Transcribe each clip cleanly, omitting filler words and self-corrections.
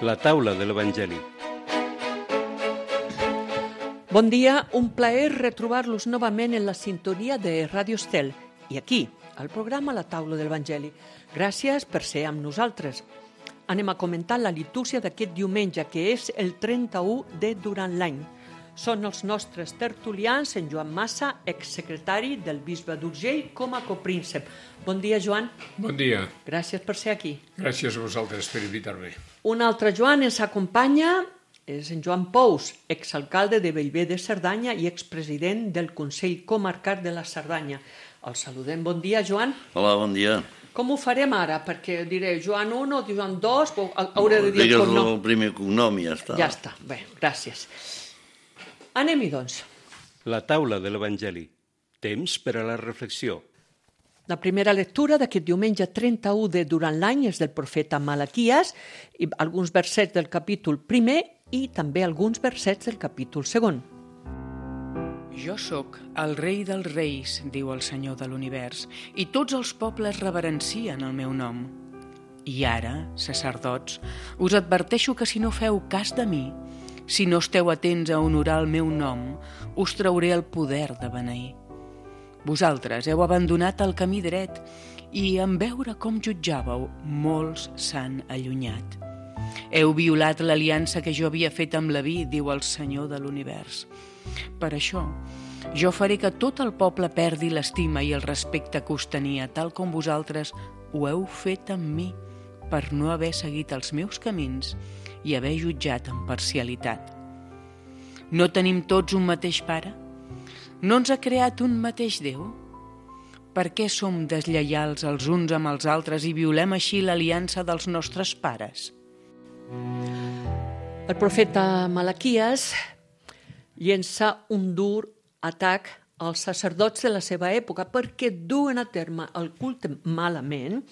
La taula de l'Evangeli. Bon dia, un plaer retrobar-los novament en la sintonia de Ràdio Estel i aquí, al programa La taula de l'Evangeli. Gràcies per ser amb nosaltres. Anem a comentar la litúrgia d'aquest diumenge, que és el 31 de durant l'any. Són els nostres tertulians, en Joan Massa, exsecretari del bisbe d'Urgell, com a copríncep. Bon dia, Joan. Bon dia. Gràcies per ser aquí. Gràcies a vosaltres per invitar-me. Un altre Joan ens acompanya, és en Joan Pous, exalcalde de Bellver de Cerdanya i expresident del Consell Comarcal de la Cerdanya. El saludem. Bon dia, Joan. Hola, bon dia. Com ho farem ara? Perquè diré Joan 1 o Joan 2, hauré de dir el cognom. Digues el primer cognom i ja està. Ja està. Bé, gràcies. Anem-hi, doncs. La taula de l'Evangeli. Temps per a la reflexió. La primera lectura d'aquest diumenge 31 de durant l'any és del profeta Malaquies, i alguns versets del capítol 1 i també alguns versets del capítol 2. Jo sóc el rei dels reis, diu el Senyor de l'univers, i tots els pobles reverencien el meu nom. I ara, sacerdots, us adverteixo que si no feu cas de mi, si no esteu atents a honorar el meu nom, us trauré el poder de beneir. Vosaltres heu abandonat el camí dret i, en veure com jutjàveu, molts s'han allunyat. Heu violat l'aliança que jo havia fet amb Leví, diu el Senyor de l'univers. Per això, jo faré que tot el poble perdi l'estima i el respecte que us tenia, tal com vosaltres ho heu fet amb mi, per no haver seguit els meus camins i haver jutjat amb parcialitat. No tenim tots un mateix pare? No ens ha creat un mateix Déu? Per què som deslleials els uns amb els altres i violem així l'aliança dels nostres pares? El profeta Malaquies llença un dur atac als sacerdots de la seva època perquè duen a terme el culte malament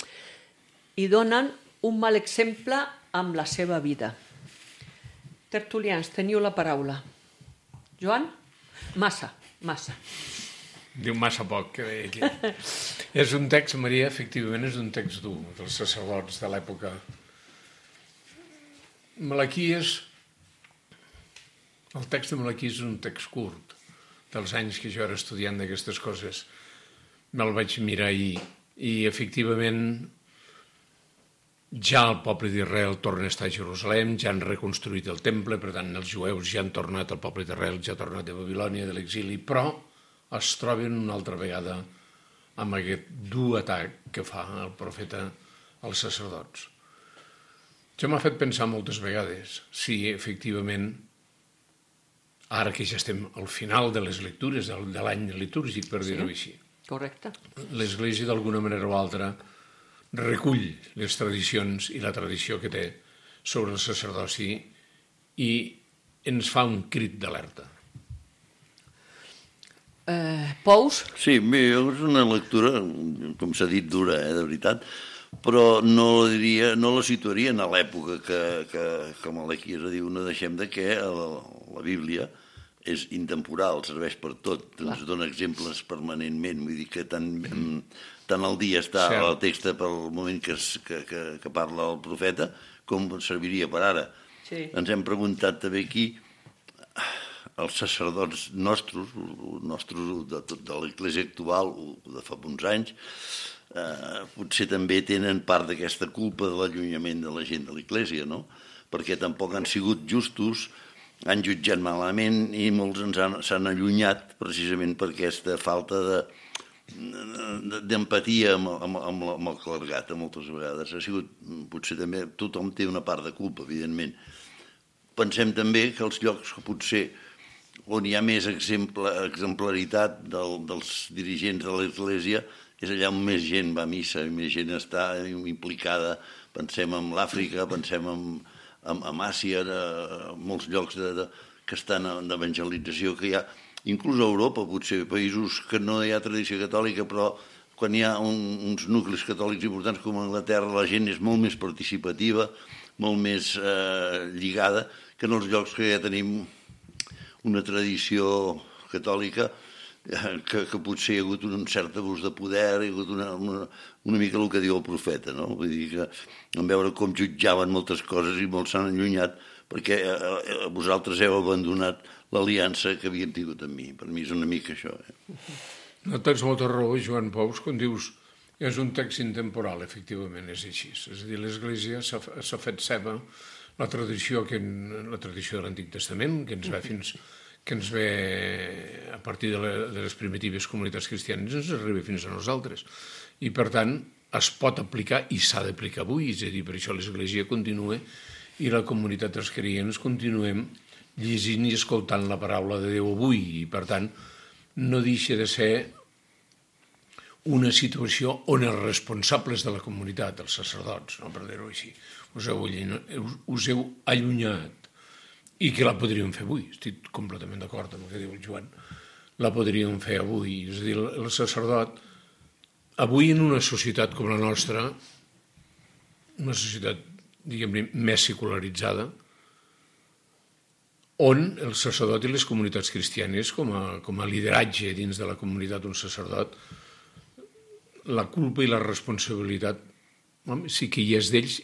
i donen un mal exemple amb la seva vida. Tertulians, teniu la paraula. Joan? Massa. Diu massa poc, que deia aquí. És un text, Maria, efectivament és un text dur, dels sacerdots de l'època. Malaquies, el text de Malaquies és un text curt, dels anys que jo era estudiant d'aquestes coses. Me'l vaig mirar ahir i efectivament ja el poble d'Israel torna a estar a Jerusalem, ja han reconstruït el temple, per tant els jueus ja han tornat, el poble d'Israel ja ha tornat de Babilònia, de l'exili, però es troben una altra vegada amb aquest dur atac que fa el profeta als sacerdots. Això m'ha fet pensar moltes vegades si efectivament, ara que ja estem al final de les lectures de l'any litúrgic, per dir-ho així, Correcte. l'Església d'alguna manera o altra recull les tradicions i la tradició que té sobre el sacerdoci i ens fa un crit d'alerta. Pous? Sí, bé, és una lectura, com s'ha dit, dura, de veritat, però no la situaria a l'època que Malaquies diu, no deixem de que la Bíblia és intemporal, serveix per tot, ens dona exemples permanentment, vull dir que tant al dia està el text pel moment que parla el profeta com serviria per ara. Sí. Ens hem preguntat també aquí els sacerdots nostres de l'Església actual de fa uns anys potser també tenen part d'aquesta culpa de l'allunyament de la gent de l'Església, no? Perquè tampoc han sigut justos, han jutjat malament i molts s'han allunyat precisament per aquesta falta d'empatia amb el clergat, moltes vegades. Ha sigut, potser també, tothom té una part de culpa, evidentment. Pensem també que els llocs que potser on hi ha més exemplaritat dels dirigents de l'Església és allà on més gent va a missa i més gent està implicada. Pensem en l'Àfrica, pensem en Àsia, molts llocs que estan en evangelització que hi ha, inclús a Europa, potser, països que no hi ha tradició catòlica, però quan hi ha uns nuclis catòlics importants com a Anglaterra, la gent és molt més participativa, molt més lligada, que en els llocs que ja tenim una tradició catòlica que potser hi ha hagut un cert abús de poder, hi ha hagut una mica el que diu el profeta, no? Vull dir que en veure com jutjaven moltes coses i molts s'han allunyat perquè vosaltres heu abandonat l'aliança que havíem tingut amb mi. Per mi és una mica això. No tens molta raó, Joan Pous, quan dius és un text intemporal, efectivament, és així. És a dir, l'Església s'ha fet seva la tradició de l'Antic Testament, que ens ve a partir de les primitives comunitats cristianes, ens arriba fins a nosaltres. I, per tant, es pot aplicar i s'ha d'aplicar avui. És a dir, per això l'Església continua i la comunitat dels creients continuem llegint i escoltant la paraula de Déu avui. I, per tant, no deixa de ser una situació on els responsables de la comunitat, els sacerdots, no, per dir-ho així, us heu allunyat i que la podríem fer avui. Estic completament d'acord amb el que diu el Joan. La podríem fer avui. És a dir, el sacerdot, avui en una societat com la nostra, una societat, diguem-ne, més secularitzada, on el sacerdot i les comunitats cristianes, com a lideratge dins de la comunitat d'un sacerdot, la culpa i la responsabilitat, sí que hi és d'ells,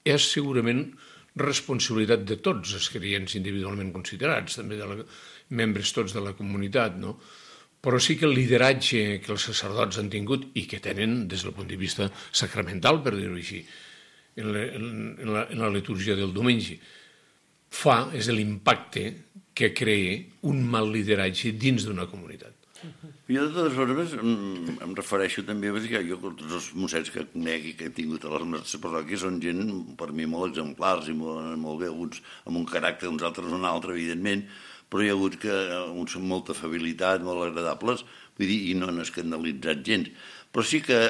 és segurament responsabilitat de tots els creients individualment considerats, també de membres tots de la comunitat, no? Però sí que el lideratge que els sacerdots han tingut i que tenen des del punt de vista sacramental, per dir-ho així, en la litúrgia del diumenge, és l'impacte que crea un mal lideratge dins d'una comunitat. Jo, de totes formes, em refereixo també a dir que jo, tots els mossets que conec i que he tingut a les nostres parròquies són gent, per mi, molt exemplars i molt bé, uns amb un caràcter, uns altres un altre, evidentment, però hi ha hagut uns amb molta afabilitat, molt agradables, vull dir, i no han escandalitzat gens. Però sí que,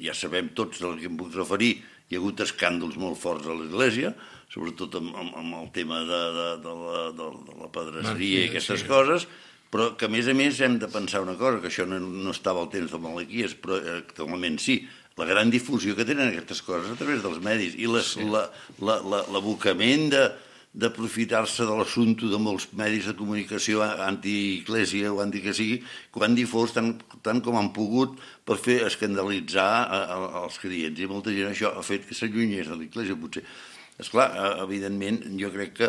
ja sabem tots del que em puc referir, hi ha hagut escàndols molt forts a l'Església, sobretot amb el tema de la pedresseria i aquestes coses, però que a més hem de pensar una cosa, que això no estava al temps de Malaquies, però actualment sí, la gran difusió que tenen aquestes coses a través dels medis i l'abocament d'aprofitar-se de l'assumpte de molts medis de comunicació anti-Església o anti que sigui, que ho han difós tant com han pogut per fer escandalitzar els creients. I molta gent això ha fet que s'allunyés de l'Església, potser. Esclar, evidentment, jo crec que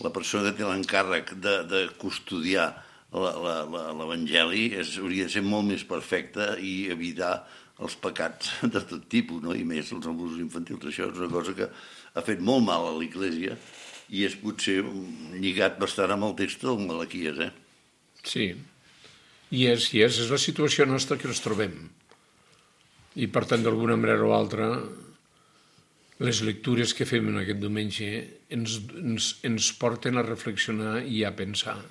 la persona que té l'encàrrec de custodiar l'Evangeli hauria de ser molt més perfecta i evitar els pecats de tot tipus, no? I més els abusos infantils. Això és una cosa que ha fet molt mal a l'Església i és potser lligat bastant amb el text del Malaquies, Sí, i és la situació nostra que ens trobem. I, per tant, d'alguna manera o altra, les lectures que fem en aquest diumenge ens porten a reflexionar i a pensar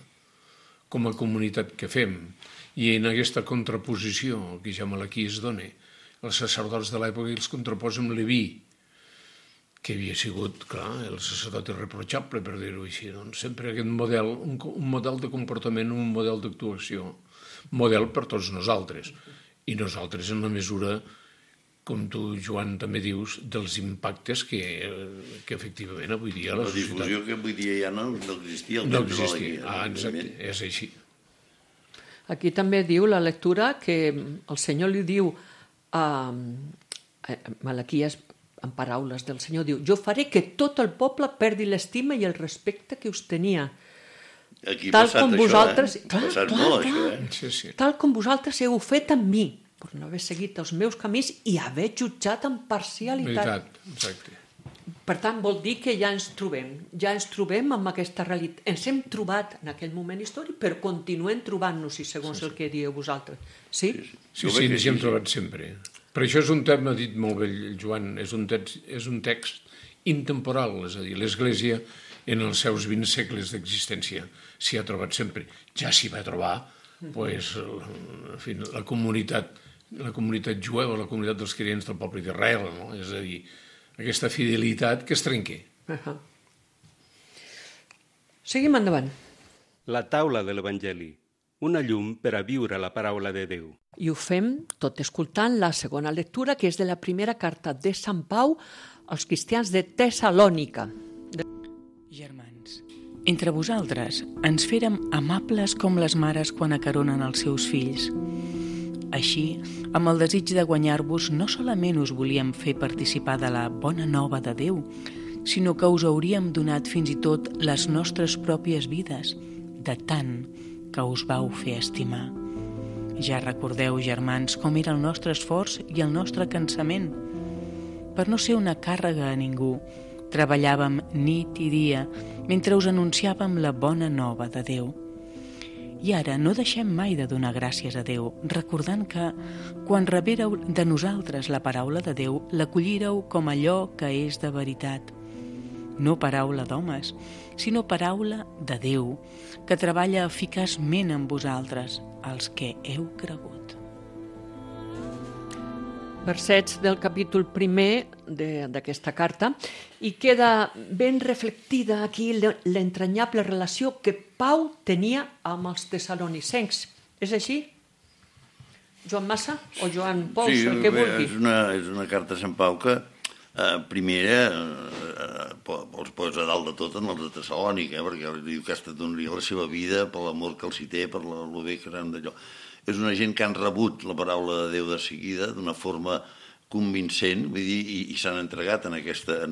com a comunitat que fem. I en aquesta contraposició que ja Malaquies dona, els sacerdots de l'època els contraposa amb Leví, que havia sigut, clar, el sacerdot irreprotxable, per dir-ho així. Doncs sempre aquest model, un model de comportament, un model d'actuació, model per tots nosaltres. I nosaltres en la mesura, com tu, Joan, també dius, dels impactes que efectivament avui dia la societat... La difusió que avui dia ja no existia. No existia, exacte, és així. Aquí també diu la lectura que el Senyor li diu a Malaquies, en paraules del Senyor, diu: jo faré que tot el poble perdi l'estima i el respecte que us tenia. Aquí ha passat vosaltres... Ha passat molt, això, Sí. Tal com vosaltres heu fet amb mi, per no haver seguit els meus camins i haver jutjat amb parcialitat. Exacte. Per tant, vol dir que ja ens trobem amb aquesta realitat. Ens hem trobat en aquell moment històric, però continuem trobant-nos, segons el que dieu vosaltres. Sí? Sí, ens hi hem trobat sempre. Per això és un tema, ha dit molt bé el Joan, és un text intemporal, és a dir, l'Església en els seus 20 segles d'existència s'hi ha trobat sempre. Ja s'hi va trobar la comunitat jueva, la comunitat dels creients del poble d'Israel, no? És a dir, aquesta fidelitat que es trenca. Seguim endavant. La taula de l'Evangeli, una llum per a viure la paraula de Déu. I ho fem tot escoltant la segona lectura, que és de la primera carta de Sant Pau als cristians de Tessalònica. Germans, Entre vosaltres ens férem amables com les mares quan acaronen els seus fills. Així, amb el desig de guanyar-vos, no solament us volíem fer participar de la bona nova de Déu, sinó que us hauríem donat fins i tot les nostres pròpies vides, de tant que us vau fer estimar. Ja recordeu, germans, com era el nostre esforç i el nostre cansament. Per no ser una càrrega a ningú, treballàvem nit i dia mentre us anunciàvem la bona nova de Déu. I ara no deixem mai de donar gràcies a Déu, recordant que, quan rebéreu de nosaltres la paraula de Déu, l'acollíreu com allò que és de veritat. No paraula d'homes, sinó paraula de Déu, que treballa eficaçment amb vosaltres, els que heu cregut. Versets del capítol 1 d'aquesta carta, i queda ben reflectida aquí l'entranyable relació que Pau tenia amb els tessalonicencs. És així? Joan Massa o Joan Pous, sí, el que vulgui. És una carta a Sant Pau que primera els posa dalt de tot en els de Tessalònica, perquè diu que ha estat donar la seva vida per l'amor que els hi té, per el bé que eren d'allò. És una gent que han rebut la paraula de Déu de seguida d'una forma convincent, vull dir, i s'han entregat en aquesta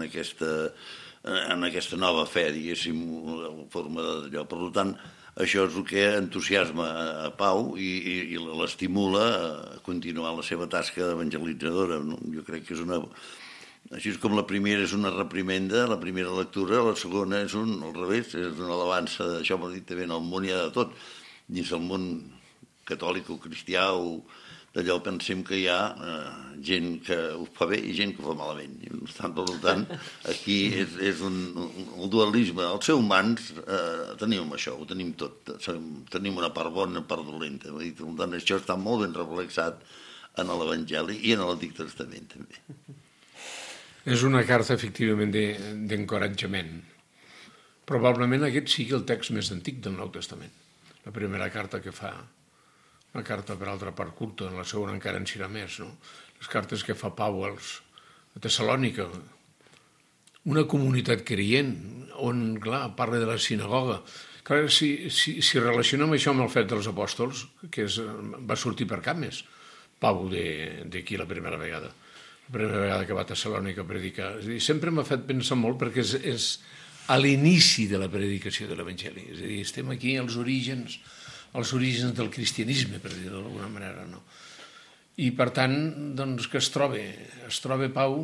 nova fe, diguéssim, la forma d'allò. Per tant, això és el que entusiasma a Pau i l'estimula a continuar la seva tasca d'evangelitzadora. Jo crec que és una... Així com la primera és una reprimenda, la primera lectura, la segona és al revés, és una alabança d'això, per dir també, en el món hi ha de tot. Dins el món catòlic o cristià o d'allò pensem que hi ha gent que ho fa bé i gent que ho fa malament. Per tant, aquí és el dualisme. Als seus mans tenim això, ho tenim tot. Tenim una part bona i una part dolenta. Per tant, això està molt ben reflexat en l'Evangeli i en l'Antic Testament també. És una carta, efectivament, d'encoratjament. Probablement aquest sigui el text més antic del Nou Testament. La primera carta que fa, una carta per altra part curta, en la segona encara en serà més, no? Les cartes que fa Pau a Tessalònica, una comunitat creient, on, clar, parla de la sinagoga. Clar, si relacionem això amb el fet dels apòstols, que va sortir per cap més, Pau d'aquí la primera vegada. La primera vegada que va a Tessalònica a predicar. És a dir, sempre m'ha fet pensar molt perquè és a l'inici de la predicació de l'Evangeli. És a dir, estem aquí als orígens del cristianisme, per dir-ho d'alguna manera, no? I, per tant, doncs, que es troba Pau.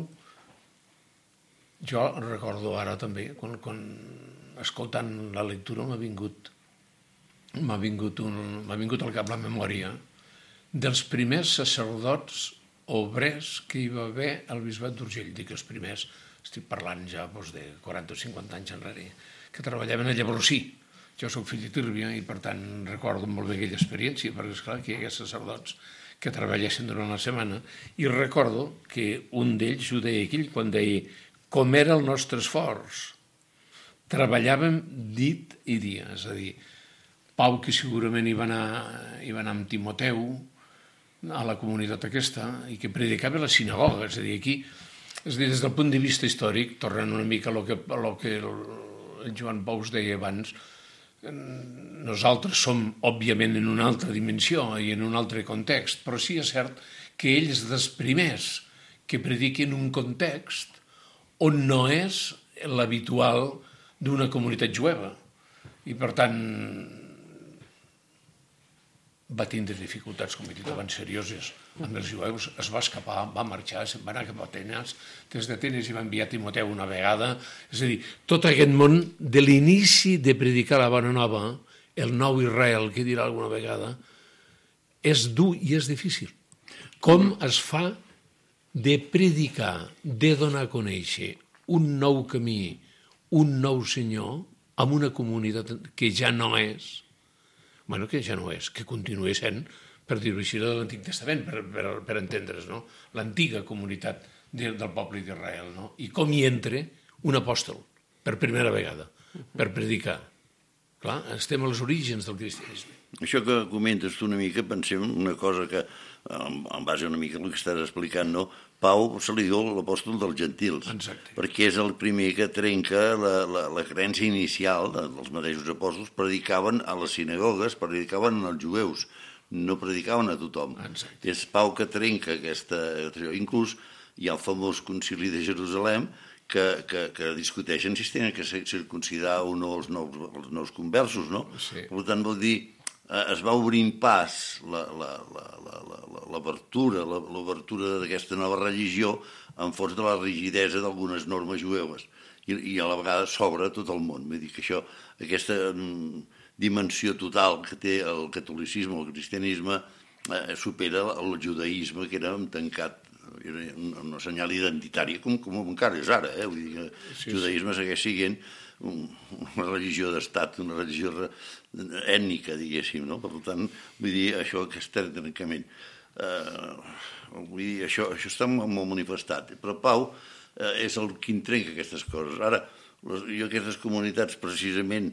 Jo recordo ara també, quan escoltant la lectura m'ha vingut al cap la memòria dels primers sacerdots obrers que hi va haver al bisbat d'Urgell. Dic els primers, estic parlant ja de 40 o 50 anys enrere, que treballaven a Llavorsí. Jo soc fill de Tírvia i, per tant, recordo molt bé aquella experiència, perquè, esclar, que hi hagués sacerdots que treballessin durant la setmana, i recordo que un d'ells ho deia aquell quan deia com era el nostre esforç. Treballàvem dit i dia, és a dir, Pau, que segurament hi va anar amb Timoteu a la comunitat aquesta i que predicava a la sinagoga, és a dir, aquí, des del punt de vista històric, tornant una mica a lo que el Joan Pau deia abans, nosaltres som, òbviament, en una altra dimensió i en un altre context, però sí és cert que ells dels primers que prediquen un context on no és l'habitual d'una comunitat jueva. I, per tant, va tindre dificultats, com he dit abans, serioses amb els jueus, es va escapar, va marxar, se'n va anar cap a Atenes, des d'Atenes hi va enviar Timoteu una vegada, és a dir, tot aquest món de l'inici de predicar la bona nova, el nou Israel, que dirà alguna vegada, és dur i és difícil. Com es fa de predicar, de donar a conèixer un nou camí, un nou senyor, amb una comunitat que ja no és, que continua sent, per dir-ho així, de l'Antic Testament, per entendre's, no? L'antiga comunitat del poble d'Israel, no? I com hi entra un apòstol, per primera vegada, per predicar. Clar, estem als orígens del cristianisme. Això que comentes tu una mica, pensem una cosa que, en base una mica al que estàs explicant, no? Pau se li diu l'apòstol dels gentils, perquè és el primer que trenca la creença inicial dels mateixos apòstols. Predicaven a les sinagogues, predicaven als jueus, no predicaven a tothom. És Pau que trenca aquesta... Inclús hi ha el famós concili de Jerusalem que discuteixen si es tenen que circuncidar o no els nous conversos, no? Per tant, vol dir, es va obrint pas l'obertura d'aquesta nova religió en fons de la rigidesa d'algunes normes jueves i a la vegada s'obre tot el món. Vull dir que aquesta dimensió total que té el catolicisme o el cristianisme supera el judaïsme, que era tancat, un senyal identitari, com encara és ara. Vull dir que el judaïsme segueix sent una religió d'estat, una religió ètnica, diguéssim, no? Per tant, vull dir, això que és trencament. Vull dir, això està molt manifestat. Però Pau és el qui trenca aquestes coses. Ara, jo aquestes comunitats, precisament,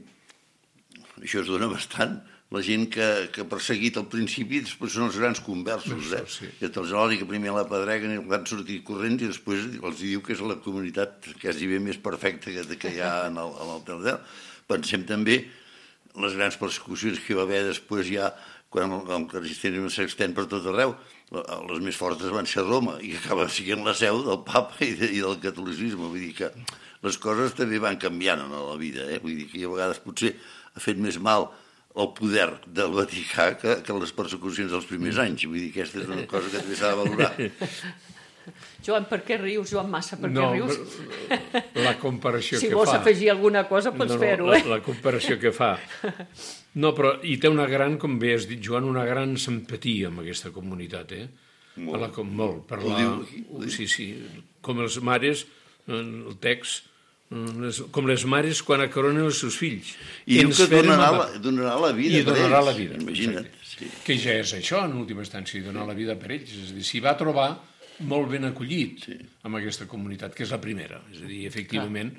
això es dona bastant. La gent que ha perseguit al principi després són els grans conversos. Que te'ls odi, que primer la pedreguen i van sortir corrents i després els diu que és la comunitat quasi bé més perfecta que hi ha en el Tardel. Pensem també les grans persecucions que hi va haver després ja quan el cristianisme s'extén per tot arreu. Les més fortes van ser a Roma i acaba sent la seu del papa i del catolicisme. Vull dir que les coses també van canviant a la vida. Vull dir que a vegades potser ha fet més mal el poder del Vaticà que les persecucions dels primers anys. Vull dir que aquesta és una cosa que també s'ha de valorar. Joan, per què rius? Joan Massa, per què rius? La comparació que fa... Si vols afegir alguna cosa, pots fer-ho, La comparació que fa. No, però hi té una gran, com bé has dit, Joan, una gran simpatia amb aquesta comunitat, Molt. Sí, com els mares, el text... com les mares quan acoronen els seus fills. I diu que donarà la vida per ells. I donarà la vida, imagina't. Que ja és això, en última instància, donar la vida per ells. És a dir, s'hi va trobar molt ben acollit amb aquesta comunitat, que és la primera. És a dir, efectivament,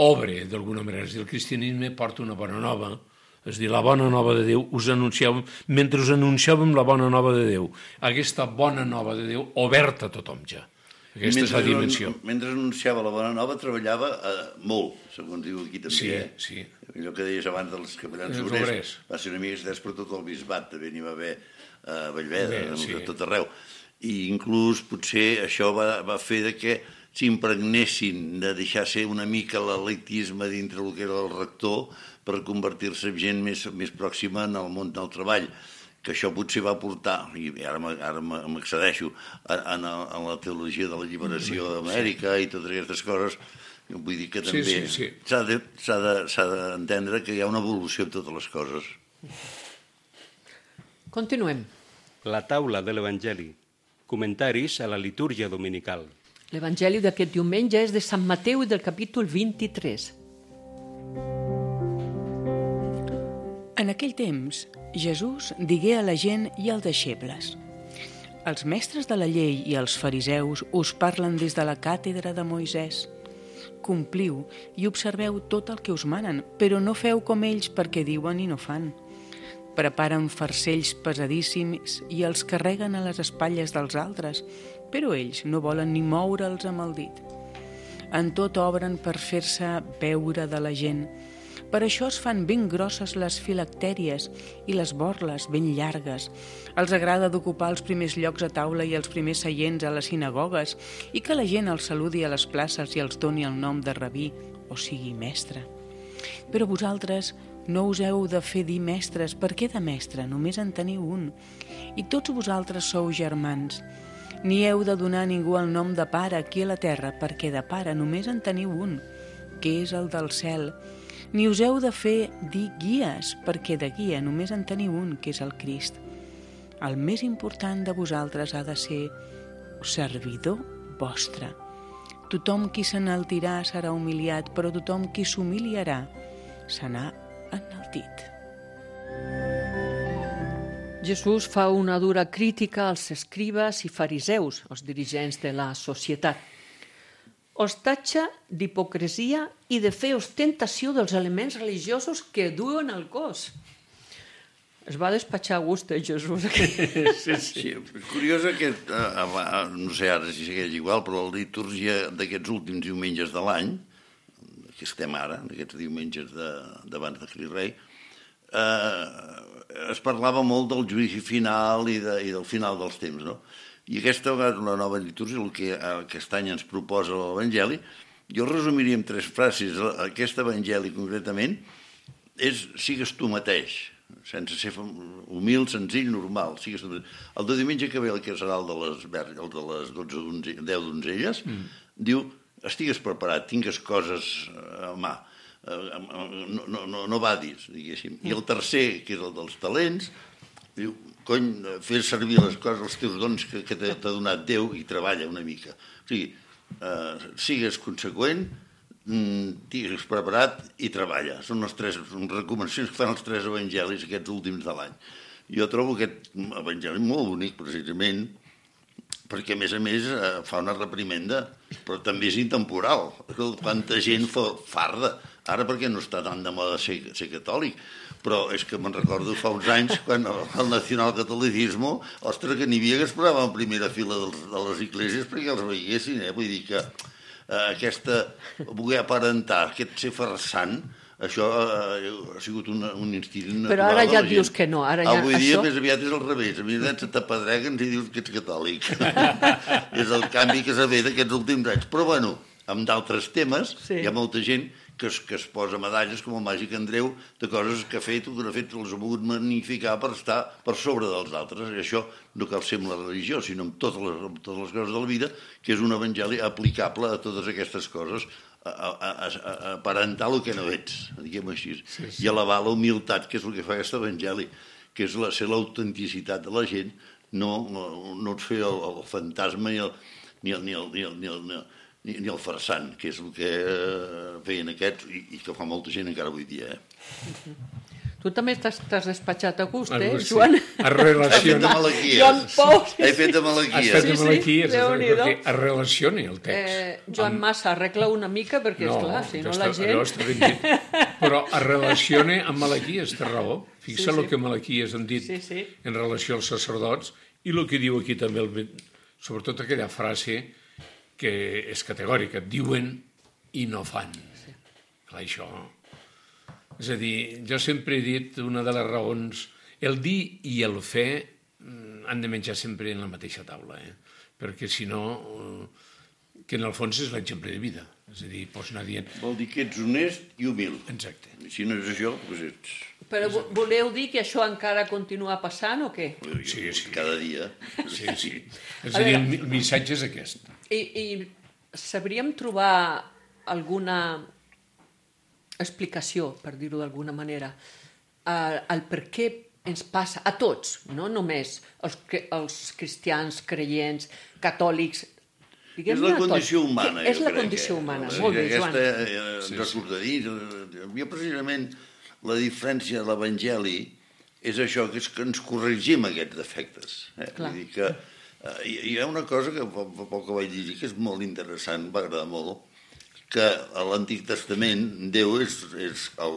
obre, d'alguna manera. És a dir, el cristianisme porta una bona nova. És a dir, la bona nova de Déu, mentre us anunciàvem la bona nova de Déu, aquesta bona nova de Déu oberta a tothom ja. Aquesta és la dimensió. Mentre anunciava la bona nova, treballava molt, segons diu aquí també. Sí. Allò que deies abans dels capellans obrers, va ser una mica estès per tot el bisbat, també n'hi va haver a Vallveda, a tot arreu. I inclús potser això va fer que s'impregnessin de deixar ser una mica l'elitisme dintre el que era el rector per convertir-se en gent més pròxima en el món del treball, que això potser va portar, i ara m'accedeixo, en la teologia de la lliberació d'Amèrica i totes aquestes coses. Vull dir que també s'ha d'entendre que hi ha una evolució en totes les coses. Continuem. La taula de l'Evangeli. Comentaris a la litúrgia dominical. L'Evangeli d'aquest diumenge és de Sant Mateu i del capítol 23. En aquell temps, Jesús digué a la gent i als deixebles: els mestres de la llei i els fariseus us parlen des de la càtedra de Moisès. Compliu i observeu tot el que us manen, però no feu com ells perquè diuen i no fan. Preparen farcells pesadíssims i els carreguen a les espatlles dels altres, però ells no volen ni moure'ls amb el dit. En tot obren per fer-se veure de la gent. Per això es fan ben grosses les filactèries i les borles ben llargues. Els agrada d'ocupar els primers llocs a taula i els primers seients a les sinagogues i que la gent els saludi a les places i els doni el nom de rabí, o sigui, mestre. Però vosaltres no us heu de fer dir mestres, perquè de mestre només en teniu un, i tots vosaltres sou germans. Ni heu de donar a ningú el nom de pare aquí a la terra, perquè de pare només en teniu un, que és el del cel. Ni us heu de fer dir guies, perquè de guia només en teniu un, que és el Crist. El més important de vosaltres ha de ser servidor vostre. Tothom qui s'enaltirà serà humiliat, però tothom qui s'humiliarà serà enaltit. Jesús fa una dura crítica als escribes i fariseus, els dirigents de la societat. Os tatxa d'hipocresia i de fer ostentació dels elements religiosos que duen al cos. Es va despatxar a gust, Jesús. Sí, curiós que, no sé ara si segueix igual, però la litúrgia d'aquests últims diumenges de l'any, que estem ara, aquests diumenges d'abans de Crist Rei, es parlava molt del judici final i del final dels temps, no? I aquesta vegada, la nova litúrgia, el que aquest any ens proposa l'Evangeli, jo resumiria en 3 frases. Aquest Evangeli, concretament, és sigues tu mateix, sense ser humil, senzill, normal. El de diumenge que ve, que serà el de les 10 donzelles, diu, estigues preparat, tingues coses a mà, no badis, diguéssim. I el tercer, que és el dels talents, diu, cony, fer servir les coses, els teus dons que t'ha donat Déu i treballa una mica. O sigui, sigues conseqüent, estigues preparat i treballa. Són les 3 recomanacions que fan els 3 evangelis aquests últims de l'any. Jo trobo aquest evangeli molt bonic, precisament, perquè, a més, fa una reprimenda, però també és intemporal. Quanta gent farda. Ara perquè no està tan de moda ser catòlic, però és que me'n recordo fa uns anys, quan el nacionalcatolicisme, ostres, que n'hi havia que esperaven en primera fila de les esglésies perquè els veiessin, Vull dir que aquesta voler aparentar, aquest ser farsant, això ha sigut un instint natural. Però ara ja dius que no. Avui dia més aviat és al revés. A mi se t'apedreguen i dius que ets catòlic. És el canvi que s'ha fet aquests últims anys. Però, bueno, amb d'altres temes, hi ha molta gent que es posa medalles, com el màgic Andreu, de coses que ha fet o que no ha fet, els ha volgut magnificar per estar per sobre dels altres. I això no cal ser amb la religió, sinó amb totes les coses de la vida, que és un evangeli aplicable a totes aquestes coses, a aparentar el que no ets, diguem així, i elevar la humilitat, que és el que fa aquest evangeli, que és ser l'autenticitat de la gent, no et fer el fantasma ni el farsant, que és el que feien aquests i que fa molta gent encara avui dia. Tu també t'has despatxat a gust, Joan? Es relaciona. Joan Pau. He fet de malaquies. Has fet de malaquies, perquè es relacioni el text. Joan Massa, arregla una mica, perquè, esclar, si no la gent... Allò està ben dit. Però es relaciona amb Malaquies, té raó. Fixa el que Malaquies han dit en relació als sacerdots i el que diu aquí també, sobretot aquella frase que és categòrica, diuen i no fan. Clar, això... És a dir, jo sempre he dit una de les raons, el dir i el fer han de menjar sempre en la mateixa taula, perquè si no, que en el fons és l'exemple de vida. És a dir, pots anar dient... Vol dir que ets honest i humil. Exacte. Si no és això, doncs ets... Però voleu dir que això encara continua passant o què? Sí. Cada dia. Sí. És a dir, el missatge és aquest. I sabríem trobar alguna explicació, per dir-ho d'alguna manera, el per què ens passa a tots, no només els cristians, creients, catòlics, és la condició humana, és la condició humana, molt bé, Joan. Jo precisament la diferència de l'Evangeli és això, que és que ens corregim aquests defectes. Vull dir que hi ha una cosa que fa poc que vaig llegir que és molt interessant, va agradar molt, que a l'Antic Testament Déu és el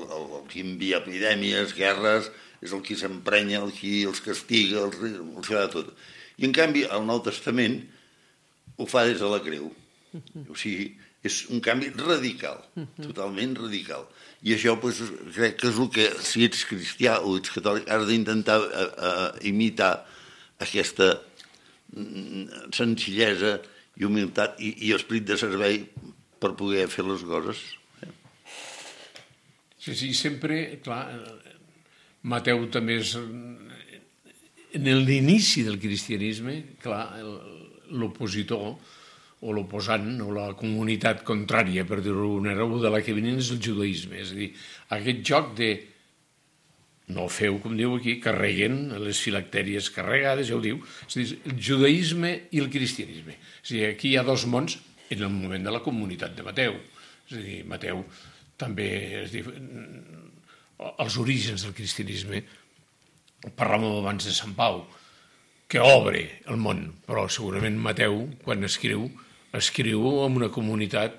qui envia epidèmies, guerres, és el qui s'emprenya, el qui els castiga, els fa de tot. I en canvi al Nou Testament ho fa des de la creu. O sigui, és un canvi radical, totalment radical. I això crec que és el que, si ets cristià o ets catòlic, has d'intentar imitar aquesta senzillesa i humilitat i esperit de servei per poder fer les coses. Sí, sempre, clar, Mateu també és... En l'inici del cristianisme, clar, l'opositor o l'oposant o la comunitat contrària, per dir-ho d'alguna manera, de la que venien és el judaïsme. És a dir, aquest joc de no feu, com diu aquí, carreguen les filactèries carregades, ja ho diu, és a dir, el judaïsme i el cristianisme. És a dir, aquí hi ha dos mons en el moment de la comunitat de Mateu. És a dir, Mateu també, els orígens del cristianisme, parlàvem abans de Sant Pau, que obre el món, però segurament Mateu, quan escriu en una comunitat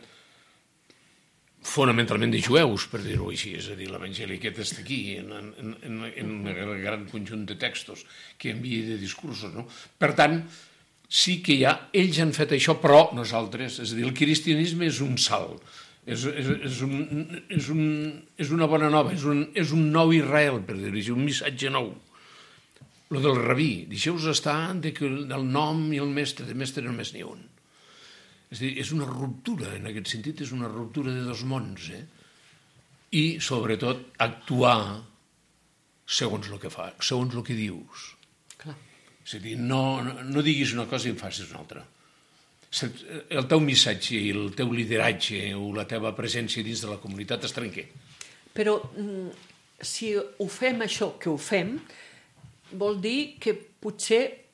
fonamentalment de jueus, per dir-ho així, és a dir, l'Evangeli aquest està aquí, en el gran conjunt de textos que envia de discursos, no? Per tant, sí que ells han fet això, però nosaltres, és a dir, el cristianisme és un salt, és una bona nova, és un nou Israel, per dir-ho així, un missatge nou. Lo del rabí, deixeu-vos estar que el nom i el mestre, de mestre només n'hi ha un. És a dir, és una ruptura, en aquest sentit, és una ruptura de dos mons, I, sobretot, actuar segons el que fa, segons el que dius. Clar. És a dir, no diguis una cosa i en facis una altra. El teu missatge i el teu lideratge o la teva presència dins de la comunitat es trenqui. Però si ho fem això que ho fem, vol dir que potser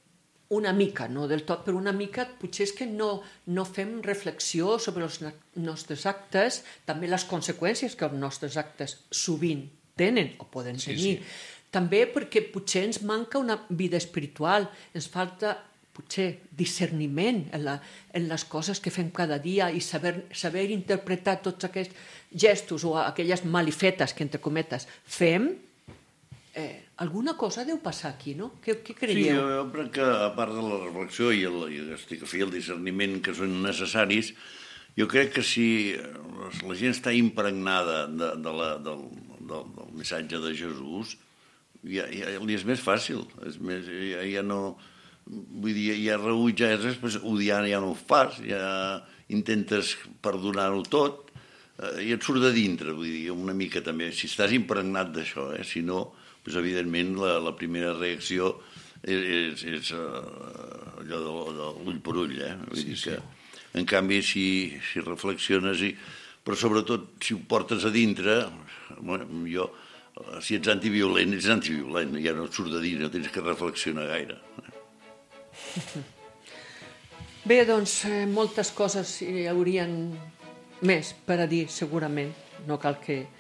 una mica, no del tot, però una mica potser és que no fem reflexió sobre els nostres actes, també les conseqüències que els nostres actes sovint tenen o poden tenir. Sí. També perquè potser ens manca una vida espiritual, ens falta potser discerniment en les coses que fem cada dia i saber interpretar tots aquests gestos o aquelles malifetes que, entre cometes, fem. Alguna cosa deu passar aquí, no? Què creieu? Sí, jo crec que, a part de la reflexió i el discerniment que són necessaris, jo crec que si la gent està impregnada del missatge de Jesús, ja li és més fàcil. Ja no... Vull dir, ja rebutjar res, odiar ja no ho fas, ja intentes perdonar-ho tot i et surt de dintre, vull dir, una mica també. Si estàs impregnat d'això, si no... Doncs, evidentment, la primera reacció és allò de l'ull per ull, Vull dir que, en canvi, si reflexiones, però sobretot si ho portes a dintre, si ets antiviolent, ja no et surt de dintre, no tens que reflexionar gaire. Bé, doncs, moltes coses hi haurien més per a dir, segurament. No cal que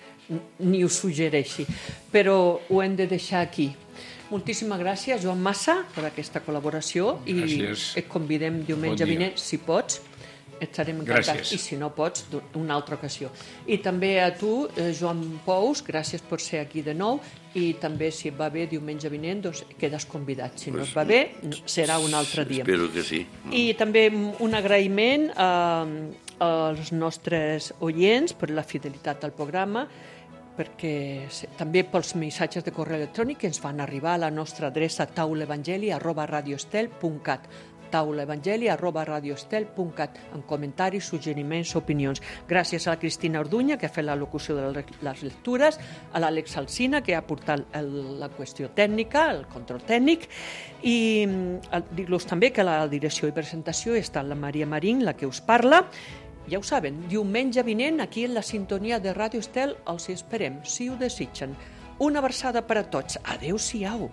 ni ho suggereixi, però ho hem de deixar aquí. Moltíssimes gràcies, Joan Massa, per aquesta col·laboració. Gràcies. I et convidem diumenge vinent, si pots, estarem encantats. Gràcies. I si no pots, una altra ocasió. I també a tu, Joan Pous, gràcies per ser aquí de nou, i també, si et va bé, diumenge vinent, doncs quedes convidat. Si no et va bé, serà un altre dia. Espero que sí. I també un agraïment als nostres oients per la fidelitat al programa, perquè també pels missatges de correu electrònic que ens van arribar a la nostra adreça taulaevangeli@radioestel.cat taulaevangeli@radioestel.cat amb comentaris, suggeriments, opinions. Gràcies a la Cristina Orduña, que ha fet la locució de les lectures, a l'Àlex Alsina, que ha portat la qüestió tècnica, el control tècnic, i dir-los també que la direcció i presentació està la Maria Marín, la que us parla. Ja ho saben, diumenge vinent, aquí en la sintonia de Ràdio Estel, els hi esperem, si ho desitgen. Una abraçada per a tots. Adéu-siau.